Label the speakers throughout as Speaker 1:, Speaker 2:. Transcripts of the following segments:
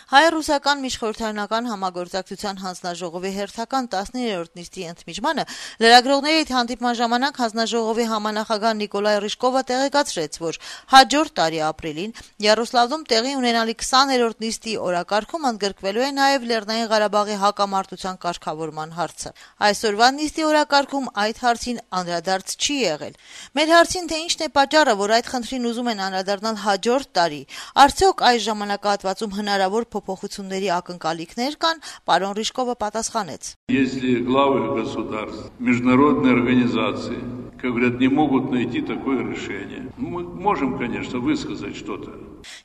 Speaker 1: Հայ-ռուսական միջխորհրդարանական համագործակցության հանձնաժողովի հերթական 19-րդ նիստի ընդմիջմանը լրագրողների հետ հանդիպման ժամանակ հանձնաժողովի համանախագահ Նիկոլայ Ռիժկովը տեղեկացրեց, որ հաջորդ տարի ապրիլին Յարոսլավլում տեղի ունենալի 20-րդ նիստի օրակարգում ընդգրկվելու է նաև Լեռնային Ղարաբաղի հակամարտության կարգավորման հարցը։ Այսօրվա նիստի օրակարգում այդ հարցին անդրադարձ չի եղել։ Մեր հարցին, թե ինչն է պատճառը, որ այդ խնդրին ուզում են անդրադառնալ հաջորդ տարի, արդյոք այս ժամանակահատվածում հնարավոր փոփոխությունների ակնկալիքներ կան, պարոն Ռիժկովը պատասխանեց.
Speaker 2: Если главы государств, международные организации, как говорят, не могут найти такое решение, мы можем, конечно, высказать что-то.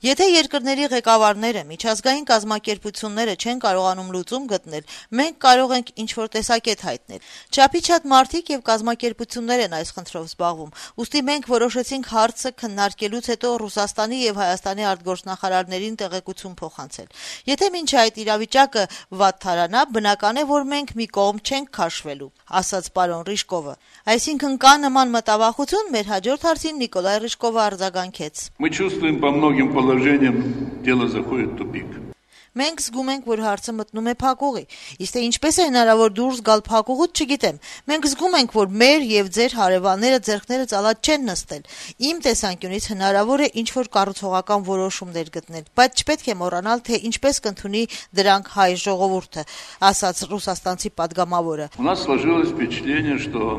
Speaker 1: Եթե երկրների ղեկավարները, միջազգային կազմակերպությունները չեն կարողանում լուծում գտնել, մենք կարող ենք ինչ-որ տեսակետ հայտնել։ Չափից շատ մարդիկ եւ կազմակերպություններ են այս խնդրով զբաղվում։ Ուստի մենք որոշեցինք հարցը քննարկելուց հետո Ռուսաստանի եւ Հայաստանի արտգործնախարարներին տեղեկություն փոխանցել։ Եթե մինչ այդ իրավիճակը վատթարանա, բնական է, որ մենք մի կողմ չենք քաշվելու, ասաց պարոն Ռիժկովը։ Այսինքն կա նման մտավախություն, մեր հաջորդ հարցին Նիկոլայ Ռիժկովը արձագանքեց.
Speaker 2: Мы чувствуем по многим положениям, дело заходит в тупик.
Speaker 1: Մենք զգում ենք, որ հարցը մտնում է փակուղի, իսկ թե ինչպես է հնարավոր դուրս գալ փակուղուց, չգիտեմ։ Մենք զգում ենք, որ մեր եւ ձեր հարևանները ձեռքները ծալած չեն նստել։ Իմ տեսանկյունից հնարավոր է ինչ-որ կառուցողական որոշումներ գտնել, բայց չպետք է մոռանալ, թե ինչպես կընդունի դրանք հայ ժողովուրդը, ասաց ռուսաստանցի падգամավորը։
Speaker 2: У нас сложилось впечатление, что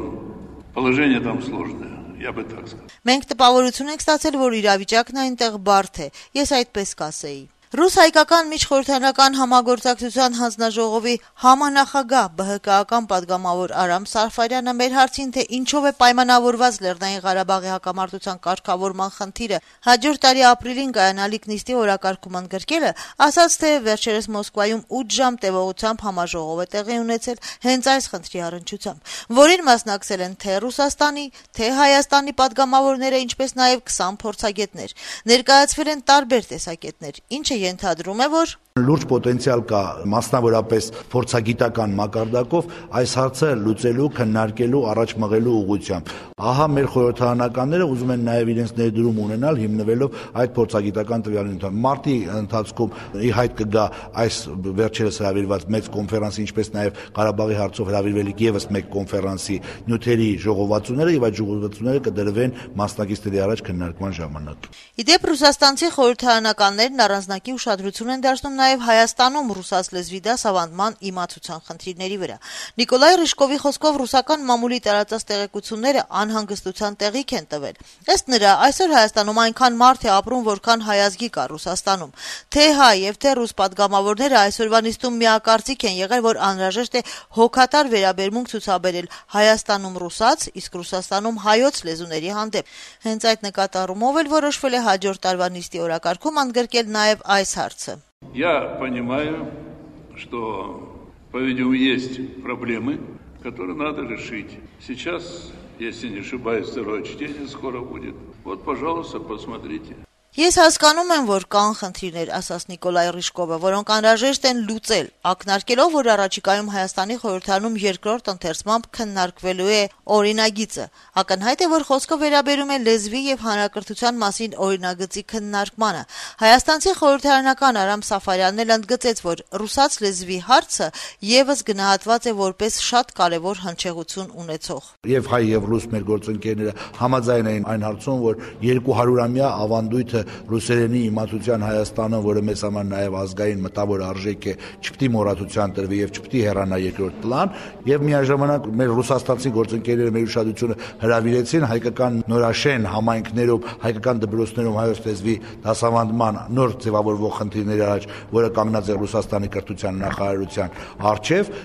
Speaker 2: положение там сложное. Я бы так сказал.
Speaker 1: Մենք տպավորություն ենք ստացել, որ իրավիճակն այնտեղ բարդ է։ Ես այդպես կասեի։ Ռուս-հայկական միջխորհրդարանական համագործակցության հանձնաժողովի համանախագահ ԲՀԿ-ական падգամավոր Արամ Սարֆարյանը մեր հարցին, թե ինչով է պայմանավորված Լեռնային Ղարաբաղի հակամարտության կարգավորման խնդիրը հաջորդ տարի ապրիլին կայանալիք նիստի օրակարգում ընդգրկելը, ասաց, թե վերջերս Մոսկվայում 8 ժամ տևողությամբ համաժողով է տեղի ունեցել հենց այս խնդրի առնչությամբ, որին մասնակցել են թե Ռուսաստանի, թե Հայաստանի падգամավորները, ինչպես նաև 20 փորձագետներ։ Ներկայացվել են տարբեր տեսակետներ, ինչը ենթադրում է, որ
Speaker 3: լուրջ պոտենցիալ կա մասնավորապես փորձագիտական մակարդակով այս հարցը լուծելու, քննարկելու, առաջ մղելու ուղղությամբ։ Ահա մեր խորհրդարանականները ուզում են նաև իրենց ներդրում ունենալ հիմնվելով այդ փորձագիտական տվյալներին։ Մարտի ընթացքում ի հայտ կգա այս վերջերս հրավիրված մեծ կոնֆերանսի, ինչպես նաև Ղարաբաղի հարցով հրավիրվելիք եւս մեկ կոնֆերանսի նյութերի ժողովածուները եւ այդ ժողովածուները կդրվեն մասնակիցների առաջ քննարկման ժամանակ։
Speaker 1: Իդեպ ռուսաստանցի խորհրդարանականներն առանձնակի ուշադրություն են դարձնում նաև Հայաստանում ռուսաց լեզվի դասավանդման իմացության խնդիրների վրա։ Նիկոլայ Ռիժկովի խոսքով ռուսական մամուլի տարածած տեղեկությունները անհանգստության տեղիք են տվել։ Ըստ նրա, այսօր Հայաստանում այնքան մարդ է ապրում, որքան հայազգի կա Ռուսաստանում։ Թե հայ եւ թե ռուս падգամավորները այսօրվա նիստում միակարծիք են եղել, որ անհրաժեշտ է հոգատար վերաբերմունք ցուցաբերել Հայաստանում ռուսաց, իսկ Ռուսաստանում հայոց լեզուների հանդեպ։ Հենց այդ նկատառումով էլ որոշվել է հաջորդ տարվա նիստի օրակարգում ընդգրկել նաև այս հարցը։
Speaker 2: Я понимаю, что, по-видимому, есть проблемы, которые надо решить. Сейчас, если не ошибаюсь, второе чтение скоро будет. Вот, пожалуйста, посмотрите.
Speaker 1: Ես հասկանում եմ, որ կան խնդիրներ, ասաց Նիկոլայ Ռիժկովը, որոնք անհրաժեշտ են լուծել, ակնարկելով, որ առաջիկայում Հայաստանի խորհրդարանում երկրորդ ընթերցմամբ քննարկվելու է օրինագիծը։ Ակնհայտ է, որ խոսքը վերաբերում է լեզվի եւ հանրակրթության մասին օրինագծի քննարկմանը։ Հայաստանցի խորհրդարանական Արամ Սաֆարյանն էլ ընդգծեց, որ ռուսաց լեզվի հարցը եւս գնահատված է որպես շատ կարեւոր հնչեղություն ունեցող։
Speaker 3: Եվ հայ եւ ռուս մեր գործընկերները համաձայն էին այն հարցում, որ 200-ամյա ավանդույթը ռուսերենի իմացության Հայաստանը, որը մեզ համար նաև ազգային մտավոր արժեք է, չպետք է մոռացության տրվի եւ չպետք է հեռանա երկրորդ պլան, եւ միաժամանակ մեր ռուսաստանցի գործընկերները մեր ուշադրությունը հրավիրեցին հայկական նորաշեն համայնքներում, հայկական դպրոցներում հայոց լեզվի դասավանդման նոր ձևավորվող խնդիրների առաջ, որը կանգնած է Ռուսաստանի կրթության նախարարության առջև։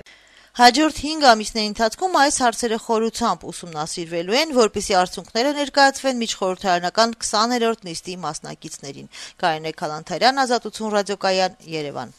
Speaker 1: Հաջորդ 5 ամիսների ընթացքում այս հարցերը խորությամբ ուսումնասիրվելու են, որպեսզի արդյունքները ներկայացվեն միջխորհրդարանական 20-րդ նիստի մասնակիցներին։ Կարինե Քալանթարյան, Ազատություն ռադիոկայան, Երևան։